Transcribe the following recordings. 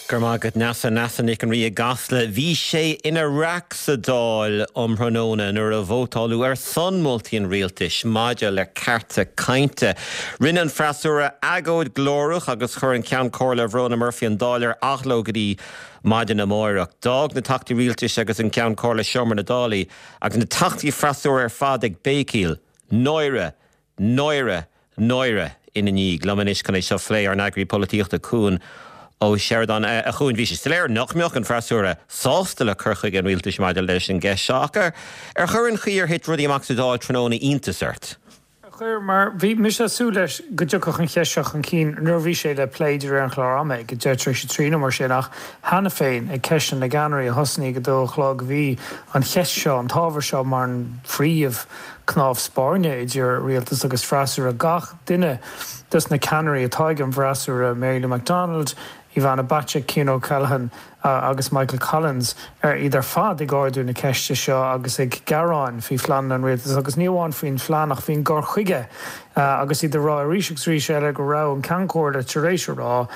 Go raibh maith agat Neasa, Neasa Nic an Rí i gCasla. Bhí sé ina raic sa Dáil um thráthnóna nuair a vótáladh ar son moltaí an rialtais maidir le cearta cainte. Rinne an freasúra agóid ghlórach agus chuir an Ceann Comhairle Verona Murphy an Dáil ar athló go dtí maidin amáireach. D'fhág na Teachtaí Rialtais agus an Ceann Comhairle seomra na Dála agus na Teachtaí freasúra ar fad ag béicíl. Náire! Náire! Náire! ina ndiaidh. Liom anois chun é seo a phlé, ár n-eagraí polaitíochta, Cuan Ó Seireadáin. A Chuain, bhí sé soiléir nach mbeadh an freasúra sásta le cur chuige an rialtais maidir leis an gceist seo, ach ar chuir an chaoi ar thit rudaí amach sa Dáil tráthnóna iontas ort? Chuir, mar bhí mise ag súil leis go dtiocfadh an cheist seo chun cinn nuair a bhí sé le plé de réir an chláir ama ag 3:40 nó mar sin, ach cheana féin ag Ceisteanna na gCeannairí a thosnaigh ag a dó a chlog bhí an cheist seo, an t-ábhar seo mar an phríomh cnámh spairne idir rialtas agus freasúra. Gach duine des na ceannairí atá ag an bhfreasúra, Mary Lou McDonald, Ivana Bacik, Cian O'Callaghan agus Michael Collins, iad ar fad ag ardú na ceiste seo agus ag gearán faoi phleananna an rialtais agus ní amháin faoin phlean ach faoin gcur chuige agus iad ag rá arís agus arís eile go raibh an Ceann Comhairle tar éis a rá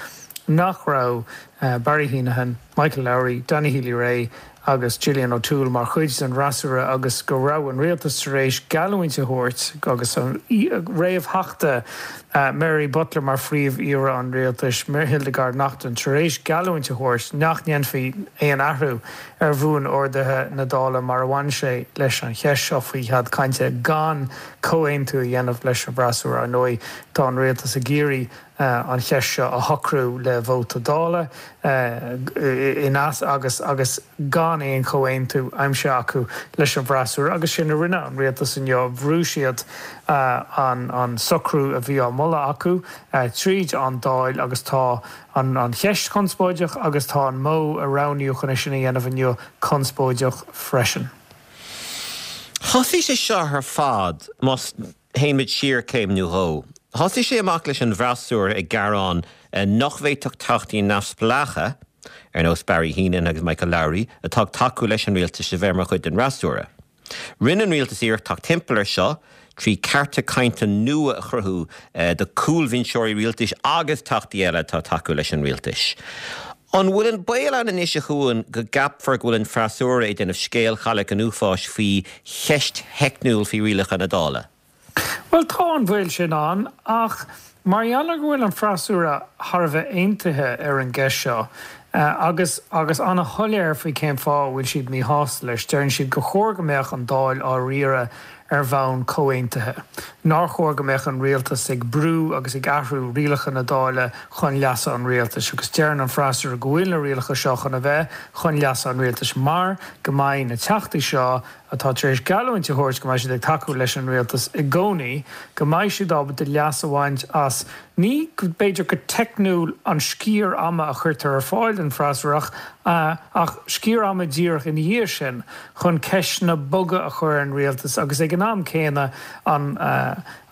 nach raibh Barry Heneghan, Michael Lowry, Danny Healy-Rae agus Gillian O'Toole mar chuid den bhfreasúra agus go raibh an rialtas tar éis geallúint a thabhairt agus an réamhtheachta Mary Butler mar Phríomh-Aoire an Rialtais, Hildegarde Naughton, tar éis geallúint a thabhairt nach ndéanfaí aon athrú ar bhuan-orduithe na Dála mar a bhain sé leis an cheist seo faoi chead cainte gan comhaontú a dhéanamh leis an bhfreasúra. Ar ndóigh, tá an rialtas ag iarraidh an cheist seo a shocrú le vóta Dála in agus agus gan aon chomhaontú aimsithe acu leis an bhfreasúra agus sin a rinne an rialtas inniu, bhrú siad an socrú a bhí á moladh acu tríd an Dáil agus tá an cheist conspóideach agus tá an modh a roghnaíodh chun é sin a dhéanamh inniu conspóideach freisin. Thosaigh sé seo ar fad, más Théimid siar céim nó dhó. Thosaigh sé amach leis an bhfreasúra ag gearán nach bhféadfadh teachtaí neamhspleácha, ar nós Barry Heneghan agus Michael Lowry, atá ag tacú leis an rialtas a bheith mar chuid den fhreasúra. Rinne an rialtas iarracht teacht timpeall air seo trí cearta cainte nua a chruthú do chúlbhinseoirí rialtais agus teachtaí eile atá ag tacú leis an rialtas. An bhfuil an baol ann anois, a Chuain, go gceapfar go bhfuil an freasúra ag déanamh scéal Chailleach an Uafáis faoi cheist theicniúil faoi rialacha na Dála? Bhuel, tá an baol sin ann, ach mar gheall ar go bhfuil an freasúra thar a bheith aontaithe ar an gceist seo, agus agus ana-shoiléir faoi cén fáth a bhfuil siad míshásta leis, deireann siad gur chóir go mbeadh an Dáil á riaradh ar bhonn comhaontaithe, nár chóir go mbeadh an rialtas ag brú agus ag athrú rialacha na Dála chun leasa an rialtais agus deireann an freasúra go bhfuil na rialacha seo chun a bheith chun leasa an rialtais mar go mbeidh na teachtaí seo atá tar éis geallúint a thabhairt go mbeidh siad ag tacú leis an rialtas i gcónaí, go mbeidh siad ábalta leas a bhaint as, ní b'fhéidir go teicniúil an sciar ama a chuirtear ar fáil don freasúra ach ach sciar ama díreach ina dhiaidh sin chun ceisteanna boga a chur ar an rialtas agus ag an am céanna an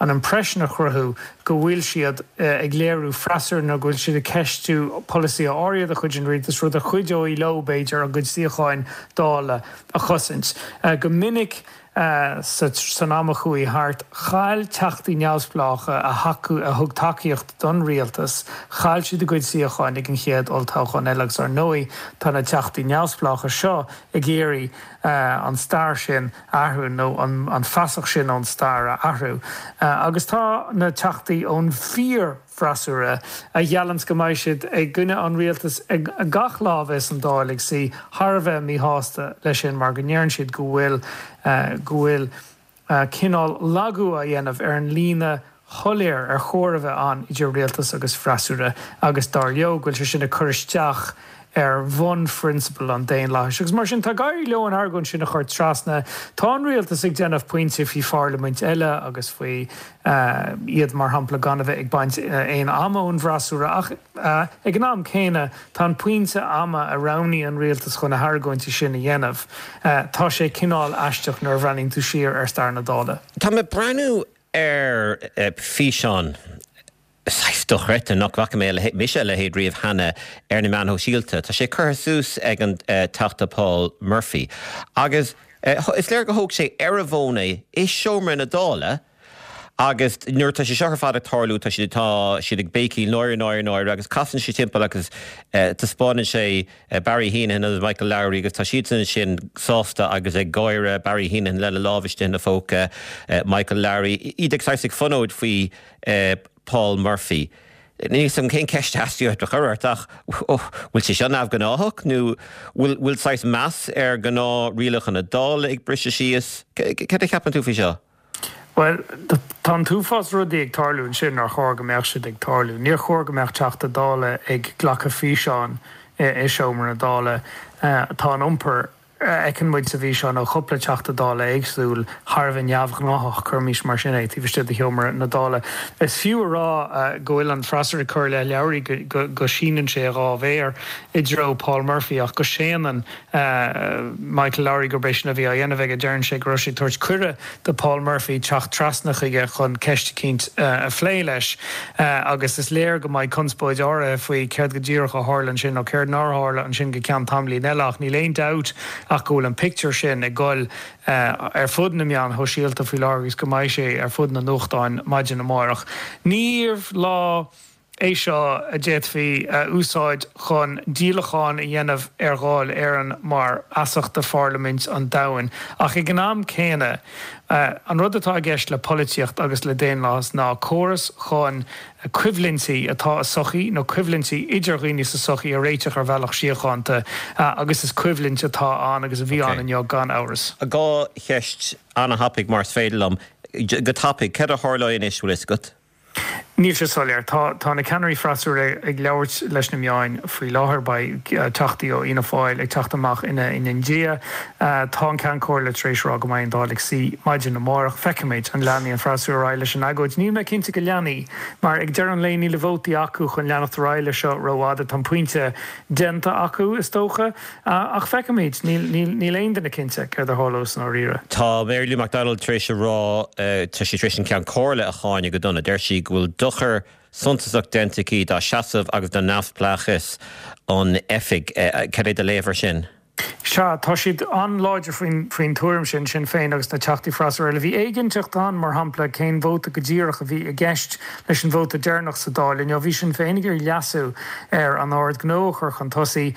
an impression a chruthú go bhfuil siad ag léiriú freasúra nó go bhfuil siad ag ceistiú polasaithe áirithe de chuid an rialtais, rud a chuideoidh leo, b'fhéidir, a gcuid suíocháin Dála a chosaint. Go minic san am a chuaigh thart, chaill teachtaí neamhspleácha a a thug tacaíocht don rialtas, chaill siad a gcuid suíocháin ag an chéad olltoghchán eile agus ar ndóigh tá na teachtaí neamhspleácha seo ag iarraidh an stair sin a athrú nó an fasach sin ón stair a athrú. Agus tá na teachtaí ón bhfíor freasúra, a gheallanns go mbeidh siad i gcoinne an rialtais gach lá a bheas an Dáil ag suí, thar a bheith míshásta leis sin mar go ndeireann siad go bhfuil go bhfuil cineál lagú á dhéanamh ar an líne shoiléir ar chóir a bheith ann idir rialtas agus freasúra agus dar leo go bhfuil sé sin ag cur isteach ar bhunphrionsabail an daonlathais. Agus mar sin, tá ag éirí leo an argóint sin a chur trasna. Tá an rialtas ag déanamh pointe faoi pharlaimint eile agus faoi iad, mar shampla, gan a bheith ag baint aon ama ón bhfreasúra ach ag an am céanna tá an pointe ama a roghnaigh an rialtas chun na hargóintí sin a dhéanamh, tá sé cineál aisteach nuair a bhreathnaíonn tú siar ar stair na Dála. Tá mé ag breathnú ar físeán saghas dochreidte nach bhfaca mé mise a leithéid riamh cheana ar na meáin shóisialta. Tá sé curtha suas ag an Teachta Paul Murphy agus is léir gur thóg sé ar a bhfón é i seomra na Dála. Agus nuair atá sé seo ar fad ag tarlú, tá siad, tá siad ag béicíl náire, náire, náire agus casann sé timpeall agus taispeánann sé Barry Heneghan agus Michael Lowry agus tá siadsan ansin sásta agus ag gáire, Barry Heneghan lena lámh istigh ina phóca, Michael Lowry, iad ag saghas ag fonóid faoi Paul Murphy. Níl 'fhios agam cén ceist a theastaigh uait a chur ort ach bhfuil sé seo neamhghnáthach nó bhfuil bhfuil saghas meas ar ghnáth-rialacha na Dála ag briseadh síos? Céard a cheapann tú faoi seo? Bhuel, tá an t-uafás rudaí ag tarlú ansin nár chóir go mbeadh siad ag tarlú. Níor chóir go mbeadh Teachta Dála ag glacadh físeáin i seomra na Dála. Tá an iompar a fheiceann muid sa bhfíseán ó chúpla Teachta Dála éagsúil thar a bheith neamhghnáthach, cuirimis mar sin é, taobh istigh de sheomra na Dála. Is fiú a rá go bhfuil an freasúra ag cur i leith Lowry go síneann sé a dhá mhéar i dtreo Paul Murphy ach go séanann Michael Lowry gurb é sin a bhí á dhéanamh aige. Deireann sé go raibh sé ag tabhairt cuireadh do Paul Murphy teacht trasna chuige chun ceist eicínt a phlé leis agus is léir go mbeidh conspóid áirithe faoi céard go díreach a tharla ansin nó céard nár tharla ansin go ceann tamaillín eile ach níl aon dabht ach go bhfuil an pictiúr sin ag goil ar fud na meáin shóisialta faoi láthair agus go mbeidh sé ar fud na nuachtáin maidin amárach. Níorbh lá é seo a d'fhéadfaí a úsáid chun díolachán a dhéanamh ar Dháil Éireann mar fheasacht do pharlaimint an domhain. Ach ag an am céanna, an rud atá i gceist le polaitíocht agus le daonlathas ná córas chun coimhlintí atá i sochaí nó coimhlintí idir dhaoine sa sochaí a réiteach ar bhealach síochánta agus is coimhlint atá ann agus a bhí ann inniu gan amhras. Dhá cheist an-thapaidh mar is féidir liom. Go tapaidh, céard a tharlóidh anois, bhfuil fhios agat? Níl sé soiléir. Tá tá na ceannairí freasúra ag labhairt leis na meáin faoi láthair. Beidh teachtaí ó Fhianna Fáil ag teacht amach ina ina ndiaidh. Tá an Ceann Comhairle tar éis a rá go mbeidh an Dáil ag suí maidin amárach. Feicfimid an leanfaidh an freasúra ar aghaidh leis an agóid. Níl mé cinnte go leanfaidh, mar ag deireadh an lae níl na vótaí acu chun leanacht ar aghaidh leis seo rófhada. Tá an pointe déanta acu, is dócha. Ach feicfimid. Níl aon duine cinnte céard a tharlós i ndáiríre. Tá Mary Lou McDonald tar éis a rá, tá sí tar éis an Ceann Comhairle a cháineadh go dona. Deir sí go bhfuil dochar suntasach déanta aici dá seasamh agus do neamhspleáchas an oifig. Cad é do léamh air sin? Sea, tá siad an-láidir faoin tuairim sin, Sinn Féin agus na Teachtaí freasúra eile. Bhí éiginnteacht ann, mar shampla, cén vóta go díreach a bhí i gceist leis an vóta deireanach sa Dáil inniu. Bhí Sinn Féin ag iarraidh leasú ar an Ord Gnó a chur chun tosaigh.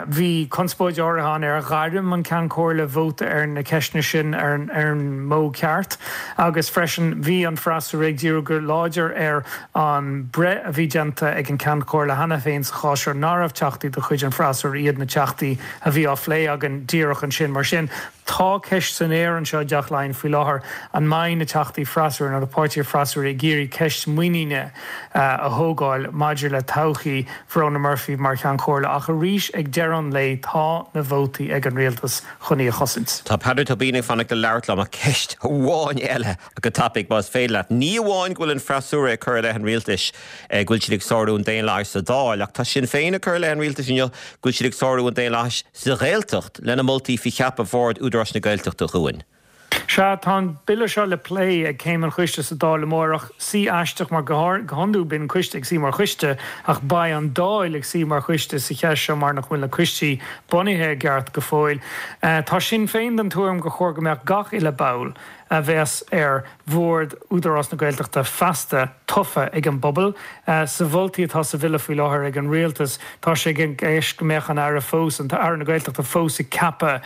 Bhí conspóid áirithe ann ar ghairm an Ceann Comhairle vóta ar na ceisteanna sin ar an modh ceart agus freisin bhí an freasúra ag díriú go láidir ar an breith a bhí déanta ag an Ceann Comhairle cheana féin sa chás seo nach raibh teachtaí de chuid an freasúra iad na teachtaí a bhí á phlé againn díreach ansin. Mar sin, tá ceist san aer anseo i dTeach Laighean faoi láthair an mbeidh na teachtaí freasúra nó na páirtithe freasúra ag iarraidh ceist muiníne a thógáil maidir le todhchaí Verona Murphy mar Cheann Comhairle ach arís ag deireadh an lae tá na vótaí ag an rialtas chun í a chosaint. Tá Peadar Tóibín ag fanacht le labhairt liom ach ceist amháin eile go tapaidh más féidir leat. Ní amháin go bhfuil an freasúra ag cur i leith an rialtais go bhfuil siad ag sárú an daonlathais sa Dáil ach tá Sinn Féin ag cur i leith an rialtais inniu go bhfuil siad ag sárú an daonlathais sa Ghaeltacht lena moltaí faoi cheapadh Bhord Údarás na Gaeltachta chugainn. Sea, tá an bille seo le plé ag Céim an Choiste sa Dáil amárach. Suí aisteach mar go hiondúil bíonn an coiste ag suí mar choiste ach beidh an Dáil ag suí mar choiste sa cheist seo mar nach bhfuil na coistí bunaithe i gceart go fóill. Tá Sinn Féin den tuairim gur chóir go mbeadh gach uile ball a bheas ar bhord Údarás na Gaeltachta feasta tofa ag an bpobal. Sa mholtaí atá sa bhille faoi láthair ag an Rialtas tá sé i gceist go mbeadh an Aire fós, an tAire na Gaeltachta fós ag ceapadh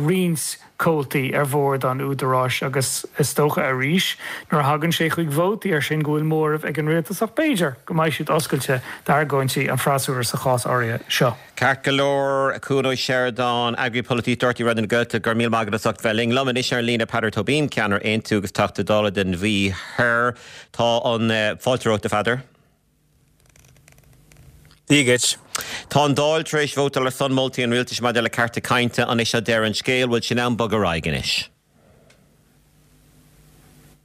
roinnt comhaltaí ar bhord an Údaráis agus is dócha arís nuair a thagann sé chuig vótaí air sin go bhfuil móramh ag an Rialtas ach b'fhéidir go mbeidh siad oscailte d'argóintí an freasúra sa chás áirithe seo. Ceart go leor, Cuan Ó Seireadáin, Eagraí Polaitíochta Raidió na Gaeltachta, go raibh míle maith agat as ucht bheith linn. Liom anois ar an líne Peadar Tóibín, ceannaire Aontú agus Teachta Dála den Mhí Thoir. Tá an fáilte romhat a Pheadair. Dia dhuit. Tá an Dáil tar éis vótáil ar son moltaí an Rialtais maidir le cearta cainte. An é seo deireadh an scéil? Bhfuil sé in am bogadh ar aghaidh anois?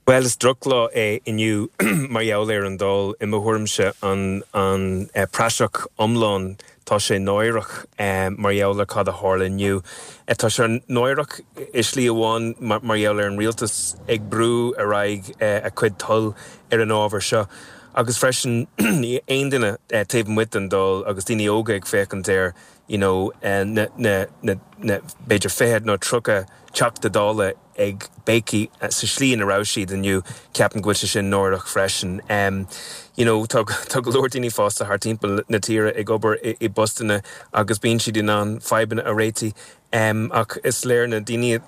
Bhuel, is drochlá é inniu mar gheall ar an Dáil, i mo thuairimse. An an praiseach iomlán. Tá sé náireach mar gheall ar cad a tharla inniu. Tá sé náireach i slí amháin mar gheall ar an rialtas ag brú ar aghaidh a cuid toil ar an ábhar seo. Agus freisin, aon duine taobh amuigh den Dáil agus daoine óga ag féachaint air. you know na na na na b'fhéidir 20 nó 30 Teachta Dála ag béicigh sa slí ina raibh siad inniu, ceapaim go bhfuil sé sin náireach freisin. You know tá tá go leor daoine fásta thart timpeall na tíre ag obair i i bpostanna agus bíonn siad in ann fadhbanna a réitigh ach is léir na daoine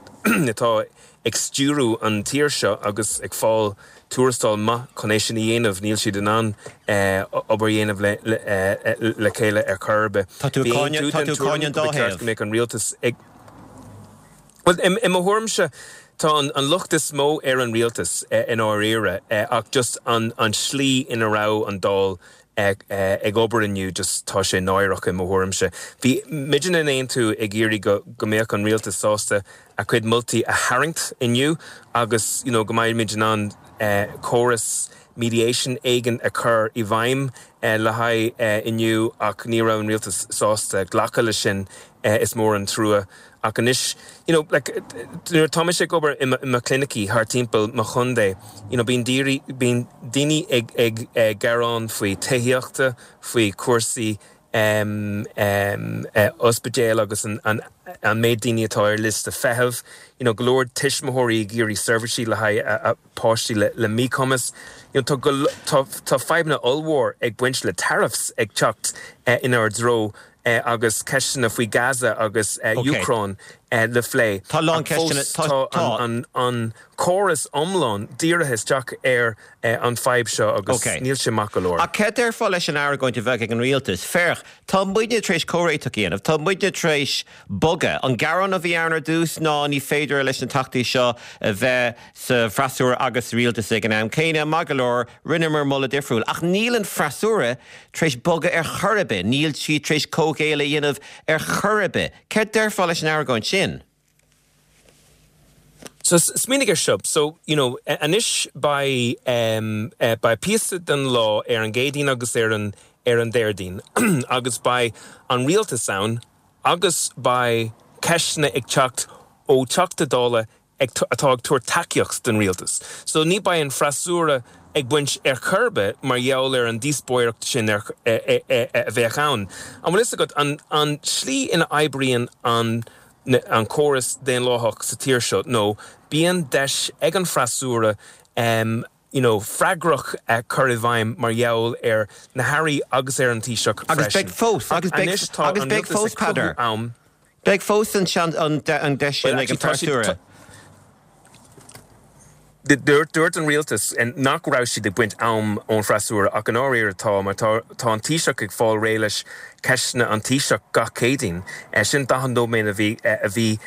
atá ag stiúrú an tír seo agus ag fáil tuarastal maith chun é sin a dhéanamh, níl siad in ann obair a dhéanamh le chéile ar chor ar bith. Tá tú ag cáineadh tá tú ag cáineadh an dá thaobh. Go mbeadh an rialtas ag. Bhuel, i mo thuairimse, tá an locht is mó ar an rialtas i ndáiríre ach just an tslí ina raibh an Dáil ag obair inniu, just tá sé náireach i mo thuairimse. Bhí muidne in Aontú ag iarraidh go go mbeadh an rialtas sásta a chuid moltaí a tharraingt inniu agus you know go mbeidh muid in ann córas mediation éigin a chur i bhfeidhm le haghaidh inniu ach ní raibh an rialtas sásta glacadh leis sin, is mór an trua. Ach anois, you know, like, nuair atá mise ag obair i mo chlinicí thart timpeall mo chontae, you know, bíonn bíonn daoine ag ag gearán faoi tithíochta, faoi chúrsaí em em ospidéal agus an an an méid daoine atá ar liosta feithimh, you know, go leor tuismitheoirí ag iarraidh seirbhísí le haghaidh a a páistí le le míchumas. You know, tá go tá tá fadhbanna ollmhór ag baint le tariffs ag teacht inár dtreo agus ceisteanna faoi Gaza agus Úcráin le plé. Tá a lán ceisteanna. Ach fós tá an córas iomlán dírithe isteach ar an fadhb seo agus níl sé maith go leor. Ach céard déarfá leis an argóint a bheadh ag an rialtas? Féach, tá muidne tar éis comhréiteach a dhéanamh, tá muidne tar éis bogadh. An gearán a bhí ann ar dtús ná ní féidir leis na teachtaí seo a bheith sa bhfreasúra agus sa rialtas ag an am céanna. Maith go leor, rinneamar moladh difriúil. Ach níl an freasúra tar éis bogadh ar chor ar bith. Níl siad tar éis comhghéilleadh a dhéanamh ar chor ar bith. Céard déarfá leis an argóint sin? So, smaoinigh ar seo. So, you know, anois beidh, beidh píosa den lá ar an gCéadaoin agus ar an, ar an Déardaoin agus beidh an rialtas ann agus beidh ceisteanna ag teacht ó Teachta Dála ag atá ag tabhairt tacaíocht don rialtas. So ní beidh an freasúra ag baint ar chor ar bith mar gheall ar an díospóireacht sin ar a bheadh ann. An bhfuil fhios agat an an slí ina oibríonn an an córas daonlathach sa tír seo nó bíonn deis ag an freasúra you know freagrach a chur i bhfeidhm mar gheall ar na hairí agus ar an Taoiseach Agus freisin. beidh fós, Ach agus beidh, anois tá agus an beidh rialtas fós, ag cruthú Peadar. am. Beidh fós an sean, an, an deis Well sin ag an actually tá siad, bhfreasúra. tá, Dúirt, dúirt an rialtas nach raibh siad ag baint am ón bhfreasúra ach i ndáiríre tá mar tá, tá an Taoiseach ag fáil réidh leis ceisteanna an Taoiseach gach Céadaoin. Sin 40 nóiméad a bhí, a bhí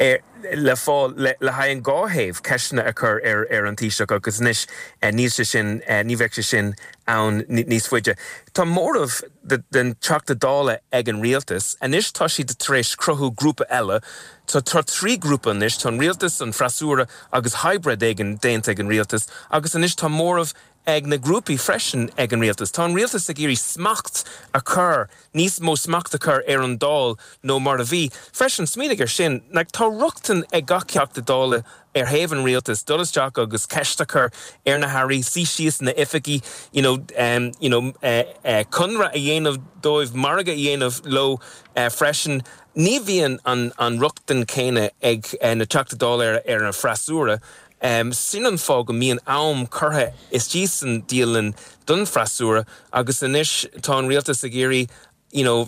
ar, le fáil le, le haghaidh an dhá thaobh ceisteanna a chur ar, ar an Taoiseach agus anois níl sé sin, ní bheidh sé sin ann níos faide. Tá móramh den Teachta Dála ag an rialtas. Anois tá siad tar éis cruthú grúpa eile. Tá 3 grúpa anois, tá an rialtas, an freasúra agus hybrid éigin déanta ag an rialtas agus anois tá móramh ag na grúpaí freisin ag an rialtas. Tá an rialtas ag iarraidh smacht a chur, níos mó smacht a chur ar an Dáil nó mar a bhí. Freisin, smaoinigh ar sin, like, tá rochtain ag gach Teachta Dála ar thaobh an rialtais dul isteach agus ceist a chur ar na hairí, suí síos ina oifigí, you know, you know, conradh a dhéanamh dóibh, margadh a dhéanamh leo freisin. Ní bhíonn an rochtain céanna ag na Teachta Dála ar an freasúra. Sin an fáth go mbíonn am curtha istigh san dialann don freasúra agus anois tá an rialtas ag iarraidh you know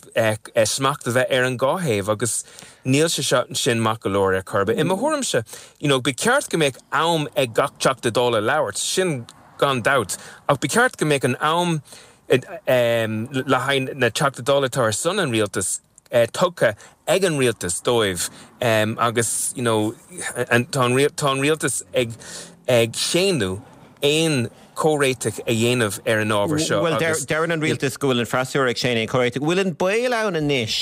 smacht a bheith ar an dhá thaobh agus níl sé seo sin maith go leor ar chor ar bith. I mo thuairimse you know ba cheart go mbeadh am ag gach Teachta Dála labhairt, sin gan dabht, ach ba cheart go mbeadh an am le haghaidh na Teachta Dála atá ar son an rialtais tugtha ag an rialtas dóibh agus you know tá an tá an rialtas ag ag séanadh aon chomhréiteach a dhéanamh ar an ábhar seo Bhuel agus deireann an rialtas go bhfuil an freasúra ag séanadh aon chomhréiteach. Bhfuil an baol ann anois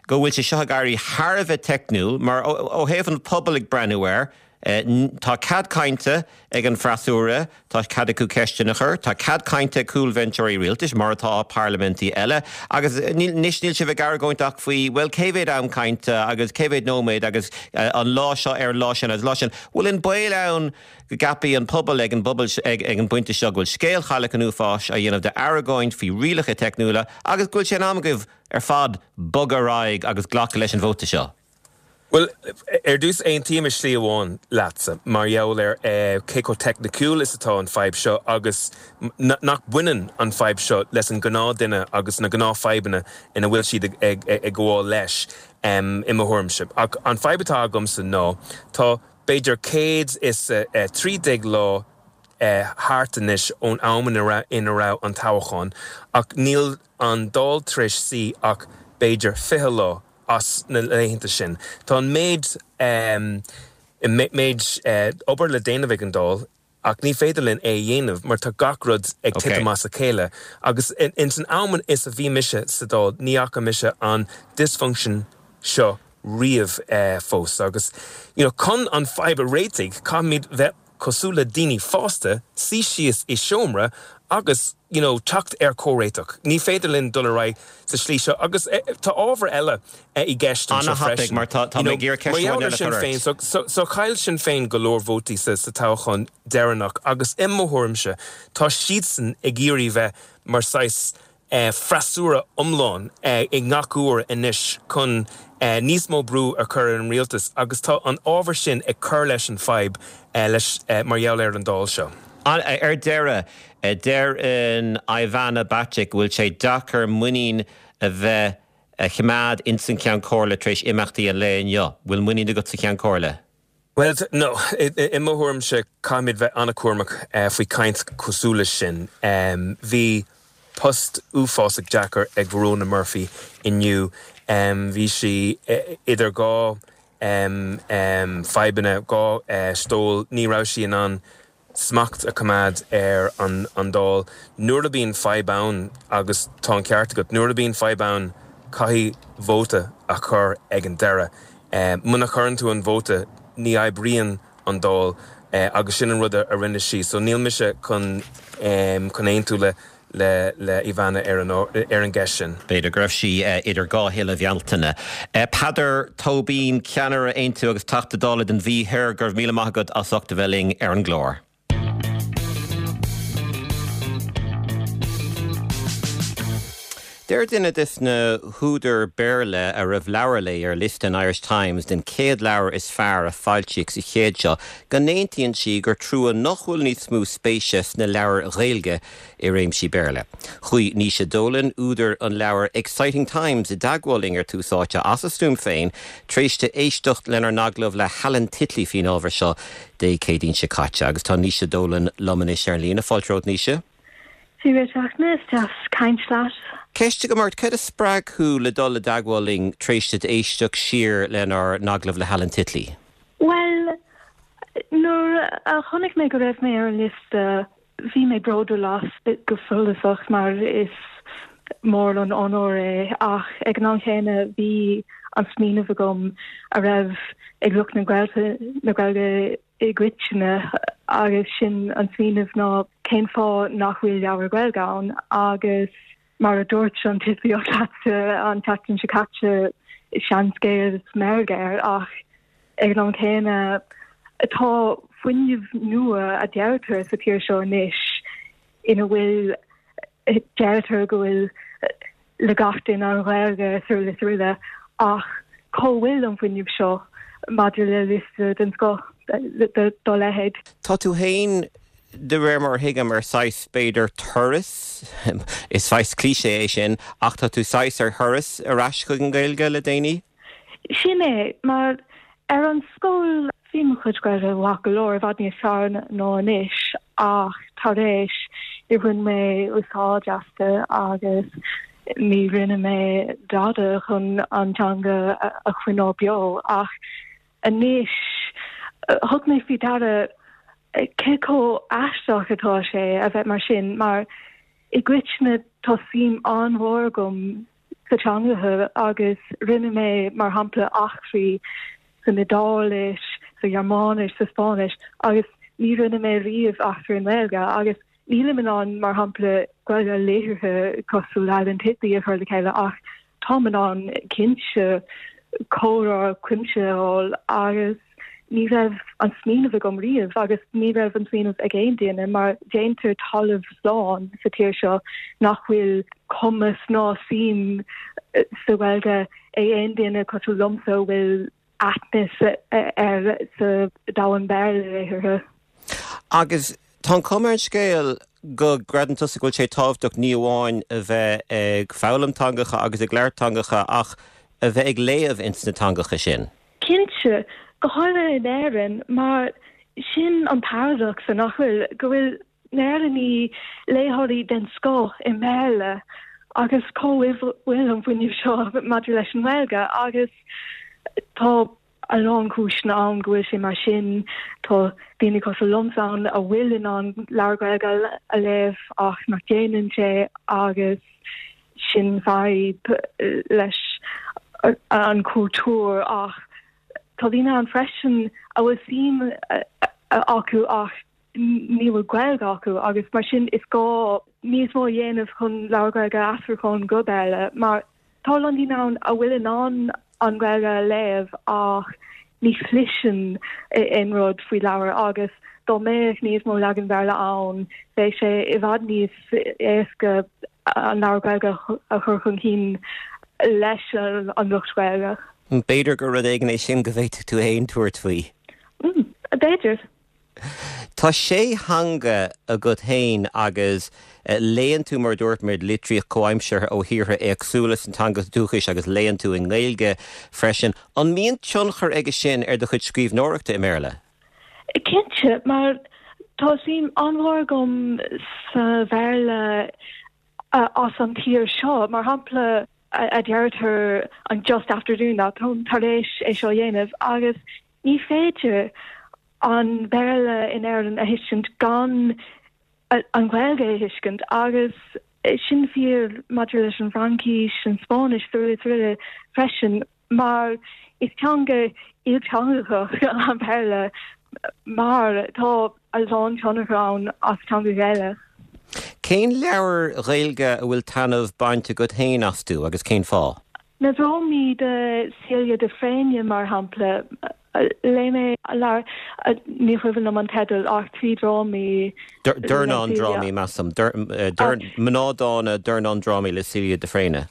go bhfuil sé seo ag éirí thar a bheith teicniúil mar ó thaobh an pobal ag breathnú air? Tá cead cainte ag an bhfreasúra, tá cead acu ceisteanna a chur, tá cead cainte ag cúlbhinseoirí rialtais, mar atá i parlaimintí eile, agus anois níl sibh ag argóint ach faoi, bhuel, cé mhéad am cainte agus cé mhéad nóiméad agus an lá seo ar an lá sin agus an lá sin. Bhfuil an baol ann go gceapfaidh an pobal ag an bpobal ag an bpointe seo go bhfuil scéal Chailleach an Uafáis á dhéanamh d'argóint faoi rialacha teicniúla agus go bhfuil sé in am agaibh ar fad bogadh ar aghaidh agus glacadh leis an vóta seo? Bhuel, ar dtús, aontaím i slí amháin leatsa mar gheall ar cé chomh teicniciúil is atá an fadhb seo agus nach mbaineann an fadhb seo leis an gnáthduine agus na gnáthfhadhbanna ina bhfuil siad ag gabháil leis, i mo thuairimse. Ach an fadhb atá agamsa ná tá b'fhéidir 113 lá thart anois ón am ina raibh an toghchán ach níl an Dáil tar éis suí ach b'fhéidir 20 lá as na laethanta sin. Tá an méid méid obair le déanamh ag an Dáil ach ní féidir linn é a dhéanamh mar tá gach rud ag titim as a chéile agus ins an am is a bhí mise sa Dáil ní fhaca mise an dysfunction seo riamh fós agus you know chun an fadhb a réitigh caithfimid bheith cosúil le daoine fásta, suí síos i seomra agus you know teacht ar comhréiteach. Ní féidir linn dul ar aghaidh sa slí seo agus tá ábhar eile i gceist anseo freisin. Mar tá mé ag iarraidh ceist amháin eile a chur ort. So, so, so chaill Sinn Féin go leor vótaí sa, sa toghchán deireanach agus i mo thuairimse tá siadsan ag iarraidh bheith mar saghas freasúra iomlán i ngach uair anois chun níos mó brú a chur ar an rialtas agus tá an ábhar sin ag cur leis an fadhb leis mar gheall ar an Dáil seo. Ar deireadh, deireann Ivana Bacik go bhfuil sé deacair muinín a bheith a choimeád ins an Cheann Comhairle tar éis imeachtaí an lae inniu. Bhfuil muinín agat sa Cheann Comhairle? Bhuel, no. I mo thuairimse, caithfimid bheith an-chúramach faoi chaint cosúil leis sin. Bhí post uafásach deacair ag Verona Murphy inniu. Bhí sí idir dhá fadhbanna, dhá stól. Ní raibh sí in ann smacht a choimeád ar an Dáil. Nuair a bhíonn fadhb ann, agus tá an ceart agat, nuair a bhíonn fadhb ann caithfidh vóta a chur ag an deireadh. Muna chuireann tú an vóta ní oibríonn an Dáil agus sin an rud a rinne sí. So níl mise chun chun aontú le le le Ivana ar an ar an gceist sin. B'fhéidir go raibh sí idir dhá thuile Bhealtaine. Peadar Tóibín, Ceannaire Aontú agus Teachta Dála don Mhí Thoir, go raibh míle maith agat as ucht a bheith linn ar an gclár. Deir duine des na húdair Béarla a raibh leabhar léi ar liosta an Irish Times den 100 leabhar is fearr a foilsíodh sa chéad seo go n-aontaíonn sí gur trua nach bhfuil níos mó spéise sna leabhair Ghaeilge i réimsí Béarla. Chuaigh Naoise Dolan, údar an leabhair Exciting Times i dteagmháil linn ar Tús Áite as a stuaim féin tar éis di éisteacht lenár n-agallamh le hAlan Titley faoin ábhar seo Dé Céadaoin seo caite. Agus tá Naoise Dolan liom anois ar an líne. Fáilte romhat, Naoise. Dia duit, a Fhachtna, is deas caint leat. Ceist agam ort, cad a spreag thú le dul i dteagmháil linn tar éis duit éisteacht siar lenár n-agallamh le hAlan Titley? Bhuel, nuair a chonaic mé go raibh mé ar an liosta, Bhí mé bródúil as go follasach mar is mór an onóir é ach ag an am chéanna bhí an smaoineamh agam a raibh ag lucht na Gaeilge i gcoitinne agus sin an smaoineamh ná cén fáth nach bhfuil leabhar Gaeilge ann agus mar a dúirt an Titlíoch leatsa an tseachtain seo caite, seanscéal is meirg air ach ag an am céanna tá fuinneamh nua a deirtear sa tír seo anois ina bhfuil deirtear go bhfuil le gach duine an Ghaeilge is araile is araile ach cá bhfuil an fuinneamh seo maidir le liosta den scoth dá leithéid? Tá tú féin de réir mar a thuigim, ar saghas, b'fhéidir, turas, is saghas cliché é sin, ach tá tú saghas ar thuras ar ais chuig an Ghaeilge le déanaí? Sin é, mar ar an scoil bhí mo chuid Gaeilge maith go leor, i bhfad níos fearr ná anois, ach tar éis, níor bhain mé úsáid aisti agus ní rinne mé dada chun an teanga a choinneáil beo ach Anois, thug mé faoi deara cé chomh aisteach atá sé a bheith mar sin, mar i gcoitinne tá suim an-mhór agam sa teangacha agus rinne mé, mar shampla, eachtraí san Iodáilis, sa Ghearmáinis, sa Spáinnis agus ní rinne mé riamh aistriú i nGaeilge agus nílim in ann, mar shampla, Gaeilge liteartha cosúil le Alan Titley a chur le chéile ach táim in ann cinnte comhrá cuimsitheach a fháil agus ní raibh an smaoineamh agam riamh agus ní raibh an smaoineamh ag aon duine mar déantar talamh slán sa tír seo nach bhfuil cumas ná suim sa Ghaeilge ag aon duine cosúil liomsa a bhfuil aithne air sa domhan Béarla laethanta. Agus tá an chuma ar an scéal go gcreideann tusa go bhfuil sé tábhachtach ní amháin a bheith ag foghlaim teangacha agus ag labhairt teangacha ach a bheith ag léamh ins na teangacha sin. Cinnte, go háirithe in Éirinn, mar sin an paradacsa, nach bhfuil, go bhfuil na hÉireannaigh léitheoirí den scoth i mBéarla agus cá bhfuil an fuinneamh seo maidir leis an nGaeilge agus tá a lán cúiseanna ann go bhfuil sé mar sin. Tá daoine cosúil liomsa ann a bhfuil in ann leabhar Gaeilge a léamh ach nach déanann sé agus sin fadhb leis an cultúr ach tá daoine ann freisin a bhfuil suim acu ach ní bhfuil Gaeilge acu agus mar sin is gá níos mó a dhéanamh chun leabhair Ghaeilge a aistriúchán go Béarla mar tá a lán daoine ann a bhfuil in ann an Ghaeilge a léamh ach ní chloiseann aon rud faoi leabhar agus dá mbeadh níos mó leagan Béarla ann bheadh sé i bhfad níos éasca an leabhar Gaeilge a chur chun cinn leis an lucht Gaeilge. B'fhéidir gur rud éigin é sin go bhféadfadh tú féin tabhairt faoi. B'fhéidir. Tá sé theanga agat féin agus léann tú, mar a dúirt muid, litríocht chomhaimseartha ó thíortha éagsúla sna teangacha dúchais agus léann tú i nGaeilge freisin. An mbíonn tionchar aige sin ar do chuid scríbhneoireachta i mBéarla? Cinnte, mar tá suim an-mhór agam sa Bhéarla as an tír seo. Mar shampla, a deirtear I'm just after doing that, táim tar éis é seo a dhéanamh, agus ní féidir an Béarla in Éirinn a thuiscint gan an Ghaeilge a thuiscint agus sin fíor maidir leis an bhFraincis, an Spáinnis is araile freisin mar is teanga ilteangach an Béarla mar tá a lán tionchar ann as teangacha eile. Cén leabhair Ghaeilge a bhfuil taitneamh bainte agat féin astu agus cén fáth? Na drámaí de Celia de Fréine, mar shampla. Léigh mé leabhar, ní cuimhin liom an teideal, ach 3 drámaí le Dornán drámaí, measaim. Mná Dána, Dornán Drámaí le Celia de Fréine.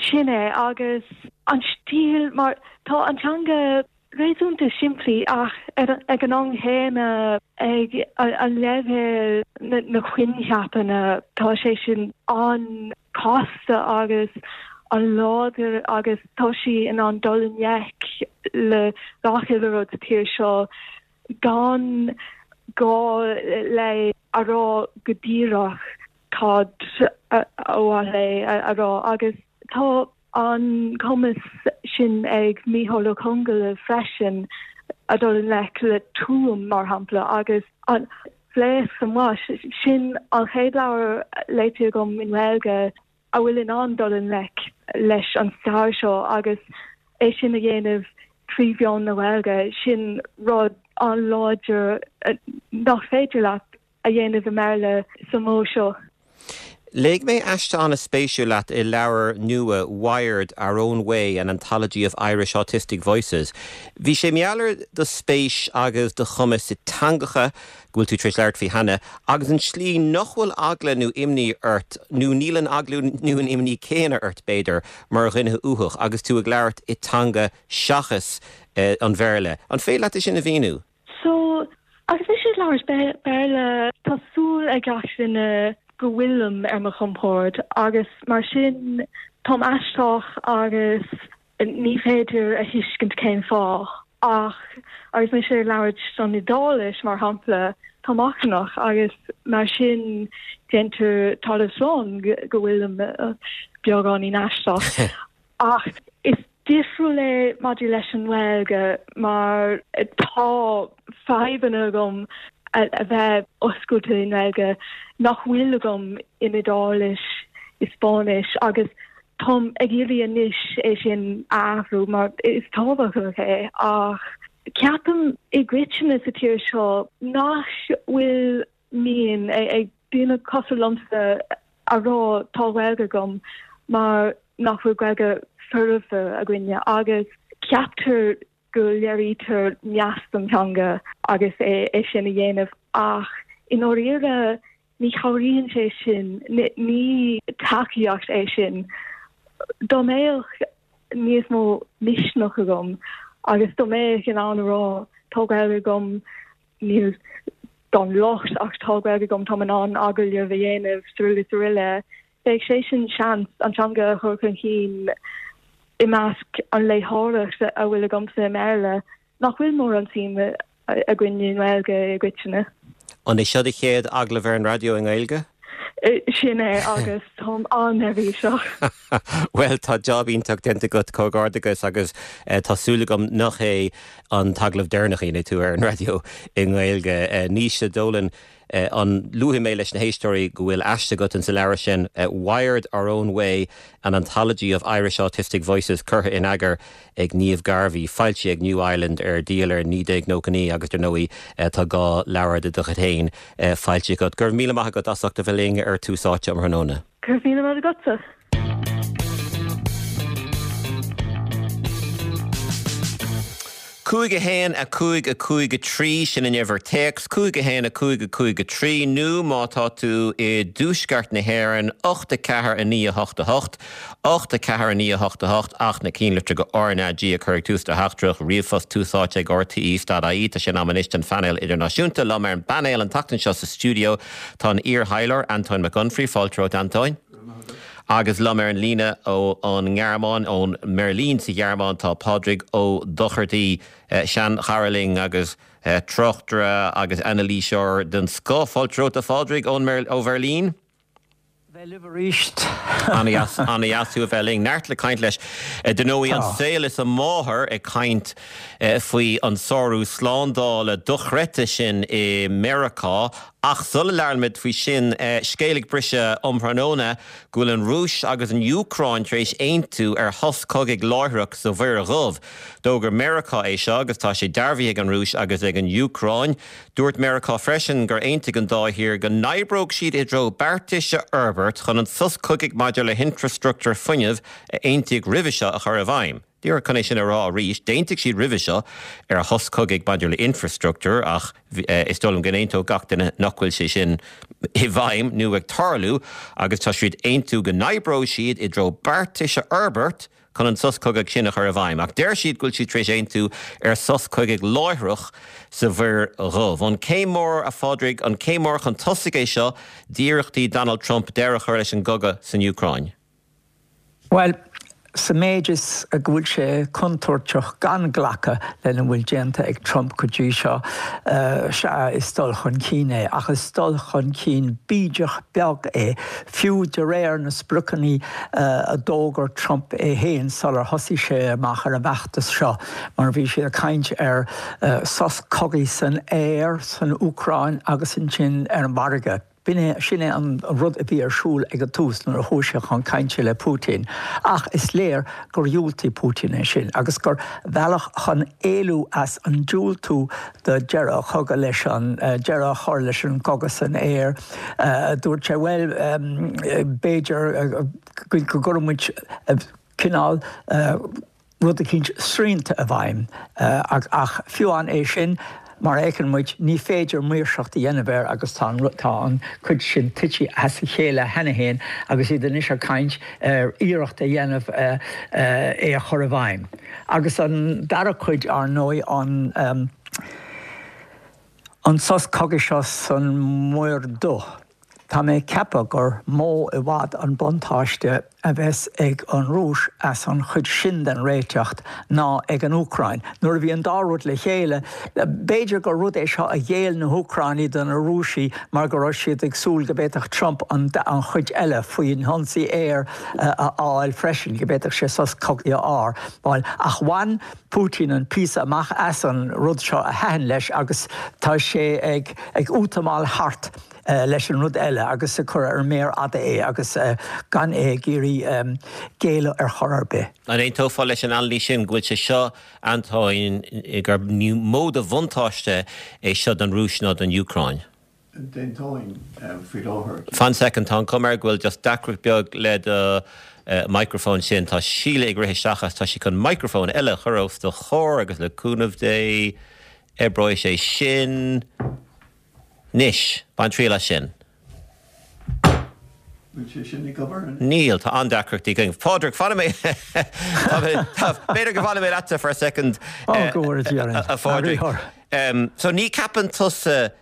Sin é, agus an stíl, mar tá an teanga réasúnta simplí ach ag an am chéanna ag an leibhéal na coincheapanna tá sé sin an-chasta agus an-láidir agus tá sí in ann dul i ngleic le gach uile rud sa tír seo gan gá léi a rá go díreach cad ba mhaith léi a rá agus tá an cumas sin ag Mícheál Ó Conghaile freisin a dul i ngleic le Tuaim, mar shampla, agus an Bhlaosc sa Mhais. Sin an chéad leabhar léite agam i nGaeilge a bhfuil in ann dul i ngleic leis an stair seo agus é sin a dhéanamh trí mheán na Gaeilge. Sin rud an-láidir nach féidir leat a dhéanamh i mBéarla sa mhodh seo. Léigh mé aiste an-spéisiúil leat i leabhar nua Wired, Our Own Way, An Anthology of Irish Autistic Voices. Bhí sé mar gheall ar do spéis agus do chumas i teangacha, go bhfuil tú tar éis labhairt faoi cheana, agus an tslí nach bhfuil eagla nó imní ort, nó níl an eagla nó an imní céanna ort, b'fhéidir, mar dhuine uathach, agus tú ag labhairt i teanga seachas an Bhéarla. An féidir leat é sin a mhíniú? So, agus mise ag labhairt Béarla, tá súil ag gach duine go bhfuilim ar mo chompord agus mar sin táim aisteach agus ní féidir a thuiscint cén fáth. Ach agus mise ag labhairt an Iodáilis, mar shampla, táim achrannach agus mar sin déantar talamh slán go bhfuilim beagáinín aisteach. Ach is difriúil é maidir leis an nGaeilge mar tá fadhbanna agam a bheith oscailte i nGaeilge nach bhfuil agam in Iodáilis, i Spáinnis agus táim ag iarraidh anois é sin a athrú mar is tábhachtach é ach. Ceapaim i gcoitinne sa tír seo nach bhfuil mian ag daoine cosúil liomsa a rá tá Gaeilge agam mar nach bhfuil Gaeilge foirfe againne agus ceaptar go léirítear meas don teanga agus é sin a dhéanamh ach i ndáiríre ní chabhraíonn sé sin, ní tacaíocht é sin. Dá mbeadh níos mó misneach agam agus dá mbeadh in ann a rá tá Gaeilge agam, níl gan locht ach tá Gaeilge agam, táim in ann agallamh a dhéanamh srl. srl. Bheadh sé sin seans an teanga a chur chun cinn i measc an léitheoireacht a bhfuil agamsa i mBéarla, nach bhfuil mórán suim againn i nGaeilge i gcoitinne. An é seo do chéad agallamh ar an raidió i nGaeilge? Sin é agus táim an-neirbhíseach. Bhuel, tá jab iontach déanta agat, comhghairdeachas agus tá súil agam nach é an t-agallamh deireanach a dhéanfaidh tú ar an raidió i nGaeilge. Naoise Dolan, An luafaidh mé leis na héisteoirí go bhfuil aiste agat in sa leabhar sin, Wired Our Own Way, An Anthology of Irish Autistic Voices, curtha in eagar ag Niamh Garvey, foilsithe ag New Island, ar díol ar 1999 agus dar ndóigh tá 2 leabhar de do chuid féin foilsithe agat. Go raibh míle maith agat as ucht a bheith linn ar Tús Áite um thráthnóna. Go raibh míle maith agatsa. 5 1 5 5 3, sin an uimhir téacs, 5 1 5 5 3, nó má tá tú i dtuaisceart na hÉireann, 8 4 9 8 8, 8 4 9 8 8, ach na cinnlitreacha RnaG a chur ag tús do theachtaireacht, ríomhphost tús áite ag rte.ie. Tá sé in am anois don phainéal idirnáisiúnta. Liom ar an bpainéal an tseachtain seo sa stiúideo tá an iar-thaidhleoir Antóin Mac Unfraidh. Fáilte romhat, Antóin. Agus liom ar an líne ón nGearmáin, ón mBeirlín sa Ghearmáin, tá Pádraig Ó Dochartaigh, seanchara linn agus tráchtaire agus anailíseoir den scoth. Fáilte romhat, a Phádraig, ó Bheirlín. Bheith libh arís. Ana-dheas, ana-dheas thú a bheith linn. Neart le caint leis. Dar ndóigh, an saol is a máthair ag caint faoi an sárú slándála dochreidte sin i Meiriceá Ach sula labhraímid faoi sin, scéal ag briseadh um thráthnóna go bhfuil an Rúis agus an Úcráin tar éis aontú ar shos cogaidh láithreach sa Mhuir Dhubh. D'fhógair Meiriceá é seo agus tá sé dearbhaithe ag an Rúis agus ag an Úcráin. Dúirt Meiriceá freisin gur aontaigh an dá thír go n-oibreodh siad i dtreo beartais a fhorbairt chun an sos cogaidh maidir le hinfreastruchtúr fuinnimh a aontaíodh roimhe seo a chur i bhfeidhm. Díreach chun é sin a rá arís, d'aontaigh siad roimhe seo ar shos cogaidh maidir le infreastruchtúr ach is dóigh liom go n-aontódh gach duine nach bhfuil sé sin i bhfeidhm nó ag tarlú agus tá siad ag aontú go n-oibreoidh siad i dtreo beartais a fhorbairt chun an sos cogaidh sin a chur i bhfeidhm. Ach deir siad go bhfuil siad tar éis aontú ar sos cogaidh láithreach sa Mhuir Dhubh. An céim mór, a Phádraig, an céim mór chun tosaigh é seo d'iarrachtaí Donald Trump deireadh a chur leis an gcogadh san Úcráin? Bhuel, sa méid is go bhfuil sé contúirteach gan glacadh lena bhfuil déanta ag Trump go dtí seo, sea, is dul chun cinn é, ach is dul chun cinn bídeach beag é, fiú de réir na spriocanna a d'fhógair Trump é féin sular thosaigh sé amach ar an bhfeachtas seo, mar bhí sé ag caint ar sos cogaidh san aer san Úcráin agus ansin ar an bhfarraige. B'in é, sin é an rud a bhí ar siúl ag an tús nuair a chuaigh sé chun cainte le Putin. Ach is léir gur dhiúltaigh Putin é sin agus gur bhealach chun éalú as an diúltú do deireadh a chogadh leis an, deireadh a chur leis an gcogadh san aer, dúirt sé, bhuel, b'fhéidir go gcuirfidh muid cineál, rud eicínt srianta i bhfeidhm. Ach fiú amháin é sin, mar a fheiceann muid, ní féidir maoirseacht a dhéanamh air agus tá an, tá an chuid sin tite as a chéile cheana féin agus iad anois ag caint ar iarracht a dhéanamh é a chur i bhfeidhm. Agus an dara cuid, ar ndóigh, an, an sos cogaidh seo san Muir Dhubh. Tá mé ag ceapadh gur mó i bhfad an buntáiste a bheas ag an Rúis as an chuid sin den réiteacht ná ag an Úcráin. Nuair a bhí an dá rud le chéile, b'fhéidir gur rud é seo a ghéill na hÚcránaigh do na Rúisigh mar go raibh siad ag súil go bhféadfadh Trump an chuid eile faoin hionsaí aeir a fháil freisin, go bhféadfadh sé sos cogaidh a fháil. Ach bhain Putin an píosa amach as an rud seo a thaitin leis agus tá sé ag útamáil thart. leis an rud eile agus ag cur ar an méar fhada é agus gan é ag iarraidh géilleadh ar chor ar bith. An aontófá leis an anailís sin go bhfuil sé seo, Antóin, gur mó de bhuntáiste é seo don Rúis ná don Úcráin? D'aontóinn faoi láthair. Fan soicind, tá an chuma air go bhfuil just deacracht beag le do microphone sin. Tá Síle ag rith isteach agus tá sí chun microphone eile a chur os do chomhair agus le cúnamh Dé oibreoidh sé sin. Anois, bain triail as sin. Bhfuil sé sin ag obair anois? Níl, tá an-deacrachtaí againn. Pádraig, fanfaidh mé, b'fhéidir go bhfanfaidh mé leatsa for a second, Ó, go bhfóire Dia orainn. a Phádraig. So ní cheapann tusa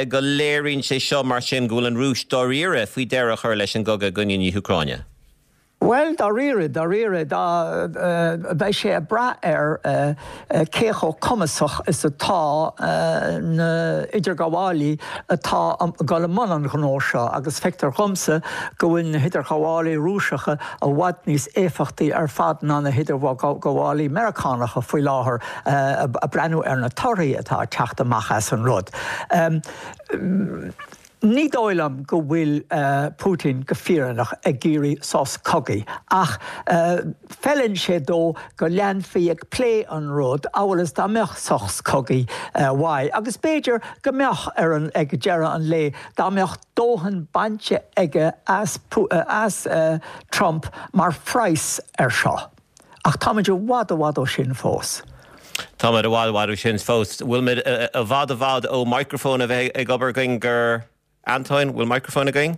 go léiríonn sé seo mar sin go bhfuil an Rúis dáiríre faoi deireadh a chur leis an gcogadh i gcoinne na hÚcráine? Bhuel, dáiríre, dáiríre, dá, beidh sé ag brath ar cé chomh cumasach is atá na idirghabhálaí atá ag dul i mbun an ghnó seo agus feictear dhomsa go bhfuil na hidirghabhálaí Rúiseacha i bhfad níos éifeachtaí ar fad ná na hidirghabhálaí Meiriceánacha faoi láthair ag breathnú ar na torthaí atá ag teacht amach as an rud. Ní dóigh liom go bhfuil Putin go fírinneach ag iarraidh sos cogaidh, ach feileann sé dó go leanfaí ag plé an rud amhail is dá mbeadh sos cogaidh uaidh. Agus b'fhéidir go mbeadh ar an ag deireadh an lae dá mbeadh dóthain bainte aige as as Trump mar phraghas ar seo. Ach táimid i bhfad i bhfad ó sin fós. Táimid i bhfad i bhfad ó sin fós. Bhfuil muid i bhfad i bhfad ó microphone a bheith ag obair againn gur Antoin, bhfuil microphone againn?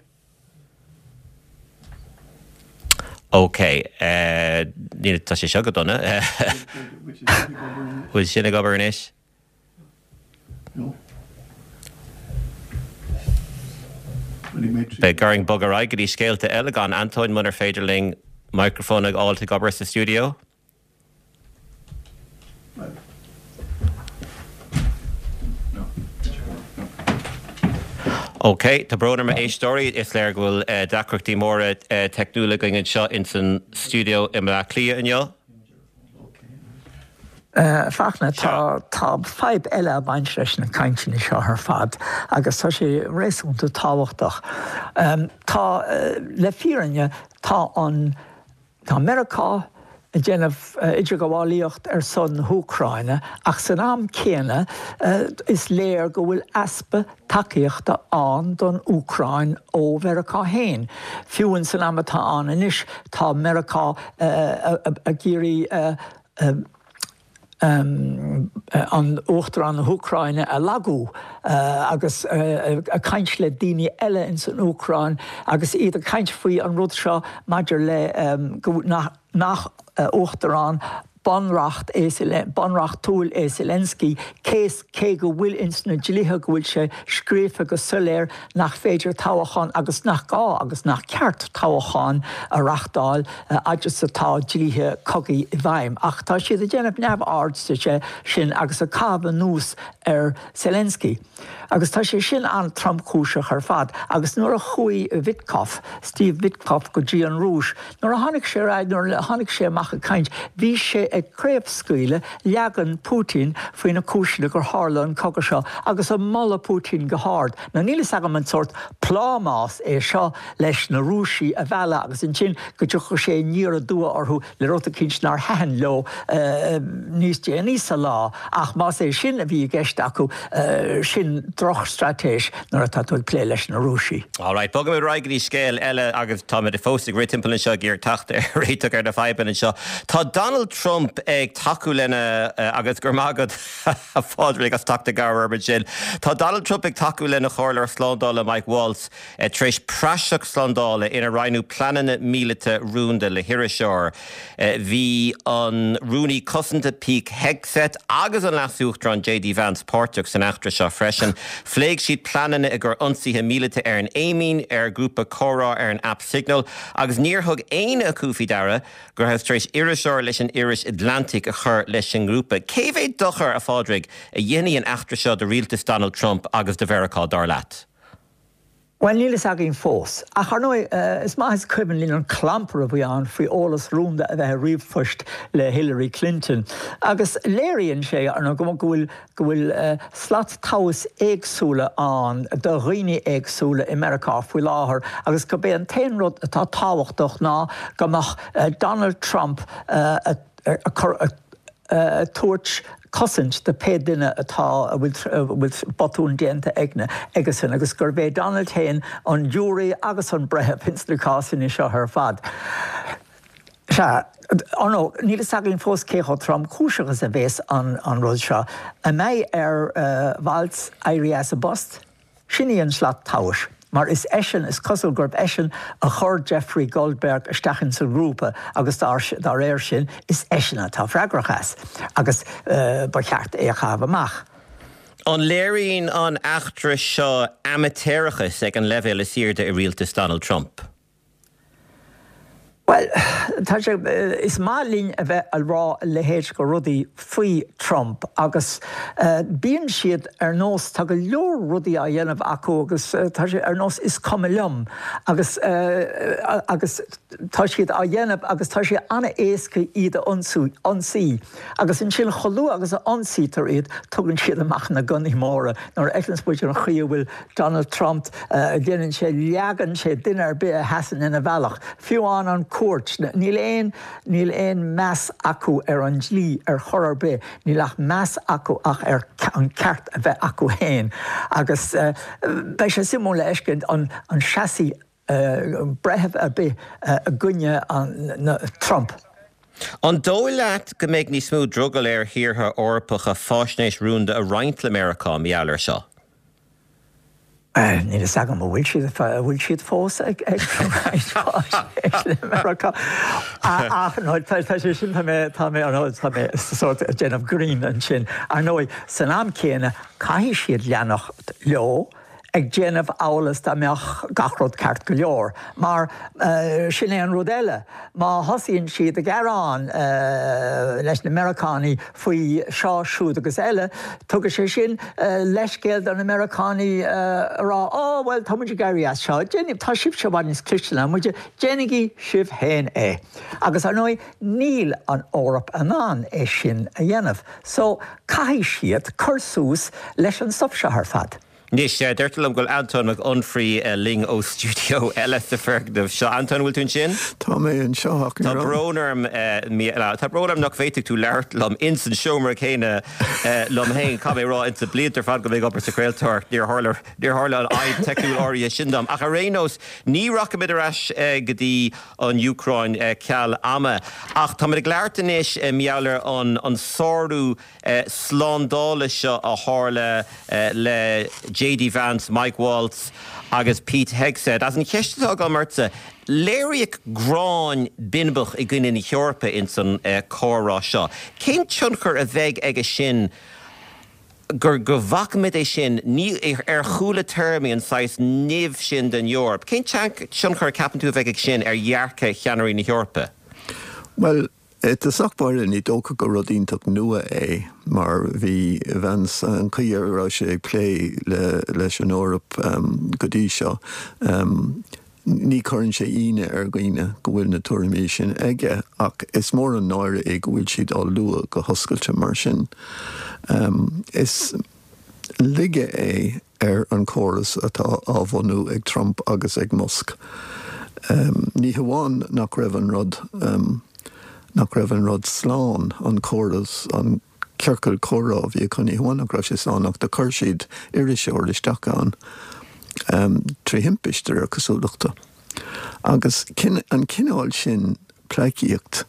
Ok, níl, tá sé seo go dona. Bhfuil sin ag obair anois? Beidh orainn bogadh ar aghaidh go dtí scéalta eile gan Antóin munar féidir linn microphone a fháilt ag obair sa stiúideo. Ok, tá brón orm a éisteoirí, is léir go bhfuil deacrachtaí móra teicniúla againn anseo ins an stiúideo i mBleá Cliath inniu. Fachtna, tá, tá fadhb eile ag baint leis na cainteanna seo ar fad agus tá sé réasúnta tábhachtach. Tá, le fírinne, tá an, tá Meiriceá ag déanamh idirghabhálaíocht ar son na hÚcráine ach san am céanna is léir go bhfuil easpa tacaíochta ann don Úcráin ó Mheiriceá féin. Fiú ins an am atá ann anois tá Meiriceá ag iarraidh an Uachtarán na hÚcráine a lagú agus ag caint le daoine eile ins an Úcráin agus iad ag caint faoi an rud seo maidir le go nach Uachtarán bunreacht é bunreachtúil é Zelensky cé cé go bhfuil ins na dlíthe go bhfuil sé scríofa go soiléir nach féidir toghachán agus nach gá agus nach ceart toghachán a reachtáil fhad is atá dlíthe cogaidh i bhfeidhm. Ach tá siad ag déanamh neamhaird de sin agus ag caitheamh anuas ar Zelensky. Agus tá sé sin an-tromchúiseach ar fad. Agus nuair a chuaigh Witkoff, Steve Witkoff, go dtí an Rúis, nuair a tháinig sé ar ais, nuair a tháinig sé amach ag caint, bhí sé ag craobhscaoileadh leagan Putin faoi na cúiseanna gur tharla an cogadh seo agus ag moladh Putin go hard. Now níl fhios agam an sórt plámás é seo leis na Rúisigh a mhealladh agus ansin go dtiocfadh sé aniar aduaidh orthu le rud eicínt nár thaitin leo níos déanaí sa lá, ach más é sin a bhí i gceist acu, sin drochstraitéis nuair atá tú ag plé leis na Rúisigh. Alright, bogfaimid ar aghaidh go dtí scéal eile agus táimid fós ag rith timpeall anseo ag iarraidh teacht ar réiteach ar na fadhbanna anseo. Tá Donald Trump ag tacú lena, agus go raibh maith agat a Phádraig as teacht i gcabhair orm ansin. Tá Donald Trump ag tacú lena chomhairleoir slándála Mike Waltz tar éis praiseach slándála inar roinneadh pleananna míleata rúnda le hiriseoir. Bhí an Rúnaí Cosanta Pete Hegseth agus an Leas-Uachtarán JD Vance páirteach san eachtra seo freisin. Phléigh siad pleananna i gcomhair ionsaithe míleata ar an Éimín ar ghrúpa comhrá ar an aip Signal agus níor thug éinne acu faoi deara go rabhthas tar éis iriseoir leis an iris Atlantic a chur leis an ngrúpa. Cé mhéad dochar, a Phádraig, a dhéanfaidh an eachtra seo do rialtas Donald Trump agus do Mheiriceá, dar leat? Bhuel, níl fhios againn fós. Ach, ar ndóigh, is maith is cuimhin linn an clampar a bhí ann faoi eolas rúnda a bheith i ríomhphoist le Hillary Clinton. Agus léiríonn sé, ar ndóigh, go bhfuil, go bhfuil slat tomhais éagsúla ann do dhaoine éagsúla i Meiriceá faoi láthair agus gurb é an t-aon rud atá tábhachtach ná go mbeadh Donald Trump ag cur, ag tabhairt cosaint do pé duine atá, a bhfuil botún déanta aigne, aigesan agus gurb é Donald féin an giúiré agus an breitheamh ins na cásanna seo ar fad. Sea, ar ndóigh, níl fhios againn fós cé chomh tromchúiseach is a bhéas an rud seo. An mbeidh ar Waltz éirí as a bpost? Sin í an slat tomhais, mar is eisean, is cosúil gurb eisean a chuir Jeffrey Goldberg isteach ins an ngrúpa agus dá réir sin, is eisean atá freagrach as, agus ba cheart é a chaitheamh amach. An léiríonn an eachtra seo amaitéarachas ag an leibhéal is airde i rialtas Donald Trump? Bhuel, tá sé, is maith linn a bheith a rá a leithéid de rudaí faoi Trump agus bíonn siad ar nós, tá go leor rudaí á dhéanamh acu agus tá sé ar nós is cuma liom agus agus tá siad á dhéanamh agus tá sé an-éasca iad a ionsaí agus ansin chomh luath agus a ionsaítear iad tugann siad amach na gunnaí móra nuair a fheiceanns muid an chaoi a bhfuil Donald Trump, déanann sé, leagann sé duine ar bith a sheasann ina bhealach, fiú amháin an chúirt. Níl aon, níl aon meas acu ar an dlí ar chor ar bith, níl ach meas acu ach ar an ceart a bheith acu féin. Agus beidh sé suimiúil a fheiscint an seasfaidh breitheamh ar bith i gcoinne Trump. An dóigh leat go mbeidh níos mó drogall ar thíortha Eorpacha faisnéis rúnda a roinnt le Meiriceá mar gheall air seo? Níl fhios agam an bhfuil siad, an bhfuil siad fós ag roinnt faisnéis le Meiriceá. Ach no, tá sé sin, tá mé, tá mé, tá mé sórt ag déanamh grinn ansin. Ar ndóigh, san am céanna, caithfidh siad leanacht leo ag déanamh amhail is dá mbeadh gach rud ceart go leor. Mar sin é an rud eile, má thosaíonn siad ag gearán leis na Meiriceánaigh faoi seo, siúd agus eile, tugann sé sin leithscéal do na Meiriceánaigh a rá, Ó, bhuel, tá muid ag éirí as seo, tá sibhse i bhfad níos cliste ná muide, déanaigí sibh féin é. Agus ar ndóigh, níl an Eoraip in ann é sin a dhéanamh. So, caithfidh siad cur suas leis an stuif seo ar fad. Anois, deirtear liom go bhfuil Antóin Mac Unfraidh linn ó stiúideo eile sa foirgneamh seo. Antóin, an bhfuil tú ansin? Tá mé anseo ach ní raibh. Tá brón orm, tá brón orm nach bhféadfadh tú labhairt liom ins an seomra céanna liom féin. Caithfidh mé a rá, ins na blianta ar fad go mé ag obair sa chraoltóireacht, níor tharla, níor tharla an fhadhb teicniúil áirithe sin dom. Ach ar aon nós, ní rachaimid ar ais go dtí an Úcráin ceal ama. Ach táimid ag labhairt anois mar gheall ar an sárú slándála seo a tharla le JD Vance, Mike Waltz agus Pete Hegseth. Agus an cheist atá agam ortsa, léiríodh gráin binbeach i gcoinne na hEorpa ins an comhrá seo. Cén tionchar a bheidh aige sin gur go bhfacaimid é sin, ní ar chúla téarmaí an saghas nimh sin den Eoraip? Cén tionchar a ceapann tú a bheidh aige sin ar dhearcadh cheannairí na hEorpa? Bhuel, I dtosach báire, ní dócha gur rud iontach nua é, mar bhí Vance, an chaoi a raibh sé ag plé leis an Eoraip go dtí seo, ní chuireann sé ionadh ar dhaoine go bhfuil na tuairimí sin aige, ach is mór an náire é go bhfuil siad á lua go hoscailte mar sin. Is laige é ar an chóras atá á bhunú ag Trump agus ag Musk. Ní hamháin nach raibh an rud, nach raibh an rud slán, an córas, an ciorcal comhrá a bhí acu, ní hamháin nach raibh sé slán ach do chuir siad iriseoir isteach ann trí thimpist, de réir cosúlachta. Agus an cineál sin pleidhcíocht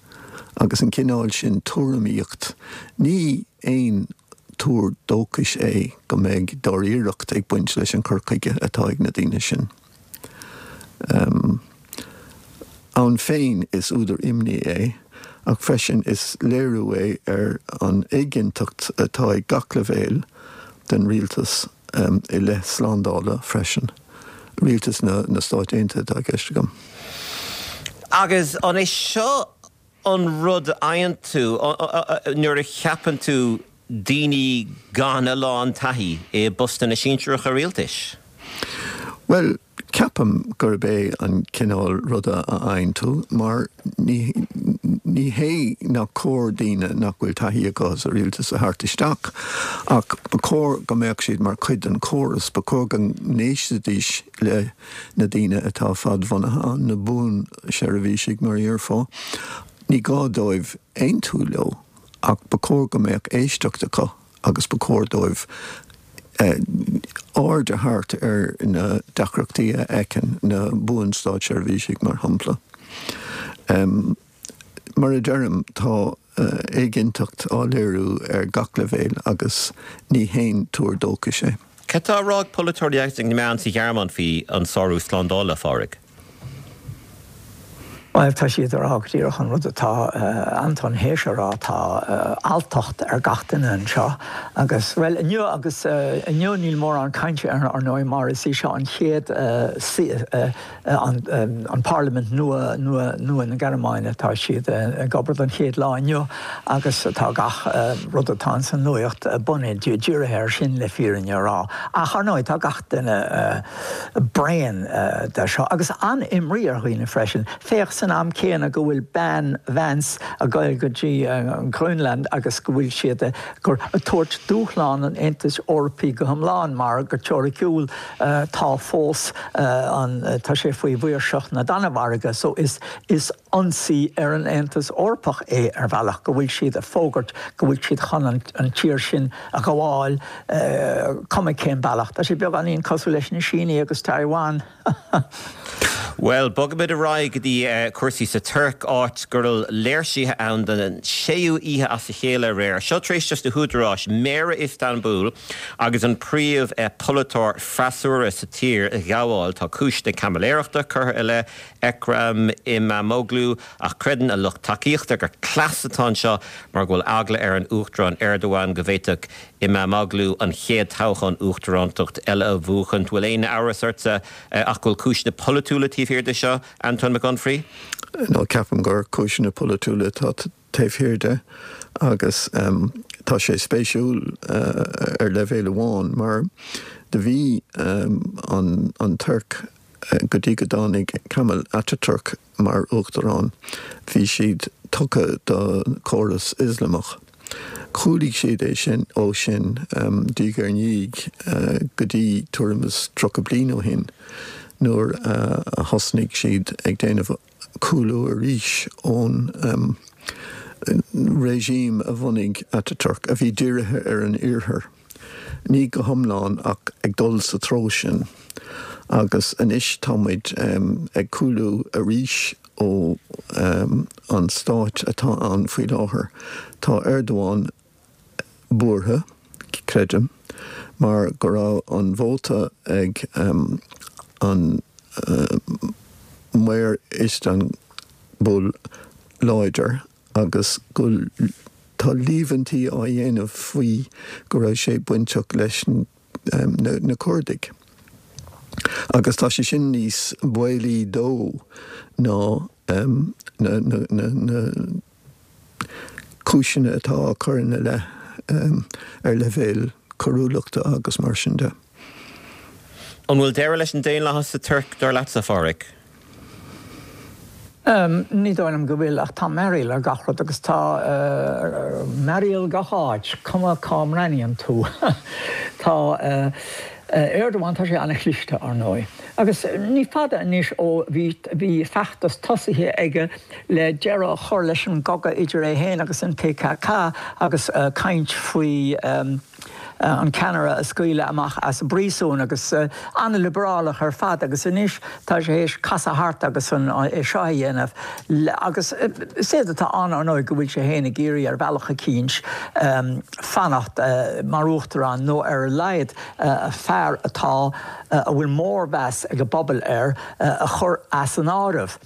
agus an cineál sin tuairimíocht, ní aon tuar dóchais é go mbeidh dáiríreacht ag baint leis an chur chuige atá ag na daoine sin. Ann féin is údar imní é, ach freisin is léiriú é ar an éiginnteacht atá ag gach leibhéal den rialtas i leith slándála freisin, rialtas na Stáit Aontaithe atá i gceist agam. Agus an é seo an rud a fhaigheann tú nuair a cheapann tú daoine gan a lán taithí i bpostanna sinsearacha rialtais? Bhuel, Ceapaim gurb é an cineál ruda a fhaigheann tú mar ní ní hé nach cóir daoine nach bhfuil taithí acu sa rialtas a thabhairt isteach ach ba chóir go mbeadh siad mar chuid den chóras, ba chóir go n-éistfidís le na daoine atá fadbhunaithe ann, na buanseirbhísigh mar a dhéarfá. Ní gá dóibh aontú leo ach ba chóir go mbeadh éisteacht acu. agus ba chóir dóibh aird a thabhairt ar na deacrachtaí a fheiceann na buan-státseirbhísigh, mar shampla. Mar a deirim, tá éiginnteacht á léiriú ar gach leibhéal agus ní haon tuar dóchais é. Cad tá á rá ag polaiteoirí agus ag na meáin sa Ghearmáin faoi an sárú slándála, a Phádraig? Bhuel, tá siad ag rá go díreach an rud atá Anton théis a rá, tá alltacht ar gach duine anseo agus, bhuel, inniu agus inniu níl mórán cainte air, ar ndóigh, mar is í seo an chéad an parlaimint nua, nua, nua na Gearmáine, tá siad ag obair don chéad lá inniu agus tá gach rud atá ins an nuacht bunaithe, dírithe air sin le fírinne a rá. Ach, ar ndóigh, tá gach duine. bréan de seo agus an-imní ar dhaoine freisin. Féach san am céanna go bhfuil bean Vance ag goil go dtí an Groenland agus go bhfuil siad ag tabhairt dúshlán an Aontais Eorpaigh go hiomlán mar go teoiriciúil tá fós an tá sé faoi mhaoirseacht na Danmhairge so is is ionsaí ar an Aontas Eorpach é ar bhealach go bhfuil siad ag fógairt go bhfuil siad chun an tír sin a ghabháil cuma cén bealach. Tá sé beagáinín cosúil leis na Sínigh agus Taiwan. Bhuel, bogfaimid ar aghaidh go dtí cúrsaí sa Tuirc, áit go raibh léirsithe ann don séú oíche as a chéile aréir. Seo tar éis dos na húdaráis, Méara Iostanbúl agus an príomh pholaiteoir freasúra sa tír a ghabháil. Tá cúiseanna caimiléireachta curtha i leith Ekrem Imamoglu, ach creideann a lucht tacaíochta gur cleas atá anseo mar go bhfuil eagla ar an Uachtarán Erdogan go bhféadfadh Imamoglu an chéad toghchán uachtarántacht eile a bhuachaint. Bhfuil aon amhras ortsa ach go bhfuil cúiseanna polaitiúla taobh thiar de seo, Antóin Mac Unfraidh? No, ceapaim gur cúiseanna polaitiúla atá taobh thiar de agus tá sé spéisiúil ar leibhéal amháin mar do bhí an Tuirc go dtí go dtáinig Kemal Ataturk mar uachtarán bhí siad tugtha do chóras Ioslamach. Chúlaigh siad é sin ó sin diaidh ar ndiaidh go dtí tuairim is 30 bliain ó shin nuair a thosnaigh siad ag déanamh cúlú arís ón regime a bhunaigh Ataturk, a bhí dírithe ar an Iarthar, ní go hiomlán ach ag dul sa treo sin. Agus anois tá muid ag cúlú arís ó an stáit atá ann faoi láthair. Tá Erdogan buartha, creidim, mar go raibh an vóta ag an Maor Iostanbúl láidir agus go tá líomhaintí á dhéanamh faoi go raibh sé bainteach leis na Curdaigh. Agus tá sé sin níos baolaí dó ná na cúiseanna atá á cur ina leith ar leibhéal coiriúlachta agus mar sin de. An bhfuil deireadh leis an daonlathas sa Tuirc, dar leatsa, a Phádraig? Ní dóigh liom go bhfuil, ach tá mearaíl ar gach rud agus tá mearaíl gach áit, cuma cá mbreathnaíonn tú. Tá Erdogan, tá sé an-chliste, ar ndóigh. Agus ní fada anois ó bhí bhí feachtas tosaithe aige le deireadh a chur leis an gcogadh idir é féin agus an PKK agus caint faoi an ceannaire a scaoileadh amach as an bpríosún agus an-liobrálach ar fad agus anois tá sé théis casadh thart agus an é seo a dhéanamh agus is éard atá ann ar ndóigh go bhfuil sé féin ag iarraidh ar bhealach eicínt fanacht mar uachtarán nó ar a laghad fear atá a bhfuil mórmheas ag an bpobal air a chur as an áireamh.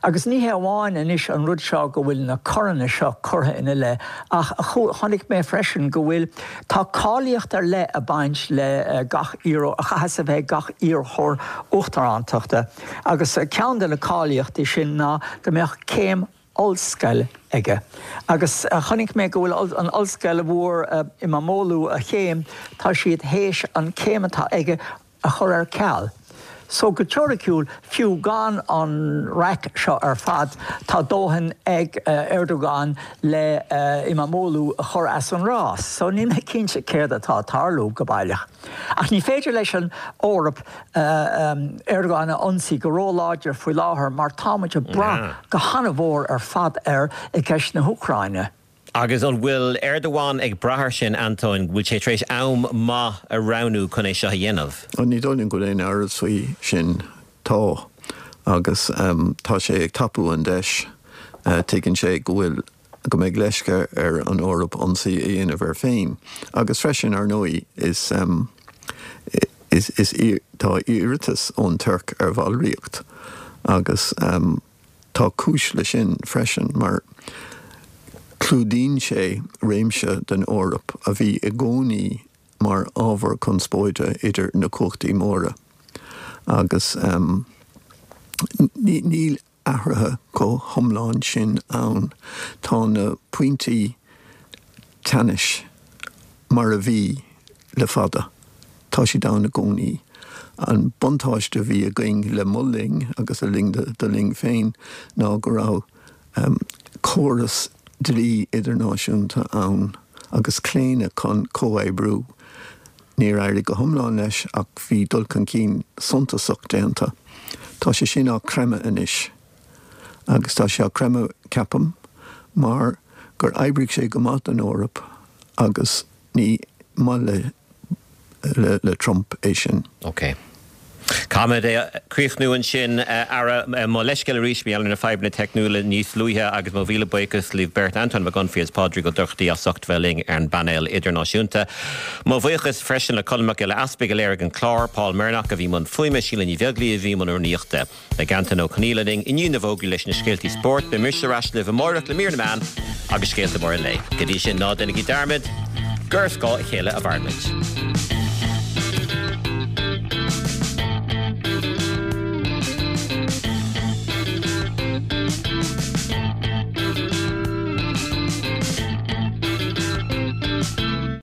Agus ní hé amháin anois an rud seo go bhfuil na coireanna seo curtha ina leith ach chonaic mé freisin go bhfuil, tá cáilíocht ar leith ag baint le gach iarrthóir, a chaithfeas a bheith ag gach iarrthóir uachtarántachta agus ceann de na cáilíochtaí sin ná go mbeadh céim ollscoile aige. Agus chonaic mé go bhfuil an ollscoil a bhfuair Imamoglu a chéim, tá siad théis an céim atá aige a chur ar ceal. So go teoiriciúil, fiú gan an raic seo ar fad, tá dóthain ag Erdogan le Imamoglu a chur as an rás. So níl mé cinnte céard atá ag tarlú go baileach. Ach ní féidir leis an Eoraip Erdogan a ionsaí go róláidir faoi láthair mar tá muid ag brath go han-mhór ar fad air i gceist na hÚcráine. Agus an bhfuil Erdogan ag brath air sin, Antóin? Bhfuil sé tar éis am maith a roghnú chun é seo a dhéanamh? Ní dóigh liom go bhfuil aon amhras faoi sin. Tá. Agus tá sé ag tapú an deis. Tuigeann sé go bhfuil, go mbeidh leisce ar an Eoraip ionsaí a dhéanamh air féin. Agus freisin, ar ndóigh, is, is, is, tá iarratas ón Tuirc ar bhallraíocht agus. Tá cúis leis sin freisin mar clúdaíonn sé réimse den Eoraip a bhí i gcónaí mar ábhar conspóide idir na cumhachtaí móra agus níl athruithe chomh hiomlán sin ann. Tá na pointí teannais mar a bhí le fada. Tá siad ann i gcónaí. An buntáiste a bhí againn le mo linn agus le linn do linn féin ná go raibh córas dlí idirnáisiúnta ann agus claonadh chun comhoibriú. Níor éirigh go hiomlán leis ach bhí dul chun cinn suntasach déanta. Tá sé sin á chreimeadh anois. Agus tá sé á chreimeadh, ceapaim, mar gur oibrigh sé go maith don Eoraip agus ní maith le le Trump é sin. Ok. Caithfimid é a chríochnú ansin, a Ara. Mo leithscéal arís mar gheall ar na fadhbanna teicniúla níos luaithe agus mo mhíle buíochas libh beirt, Antóin Mac Unfraidh agus Pádraig Ó Dochartaigh as ucht bheith linn ar an bpainéal idirnáisiúnta. Mo bhuíochas freisin le Colm Mac Giolla Easpaig a léirigh an clár, Paul Mernock a bhí i mbun fuaime, Síle Ní Bheaglaoí a bhí i mbun rúnaíochta. Beidh Antain Ó Conghaile linn i ndiaidh na bhfógraí leis na scéaltaí spóirt. Beidh mise ar ais libh amáireach le mír na meán agus scéalta móra an lae. Go dtí sin, ná déanaigí dearmad gur ar scáth a chéile a mhaireann muid.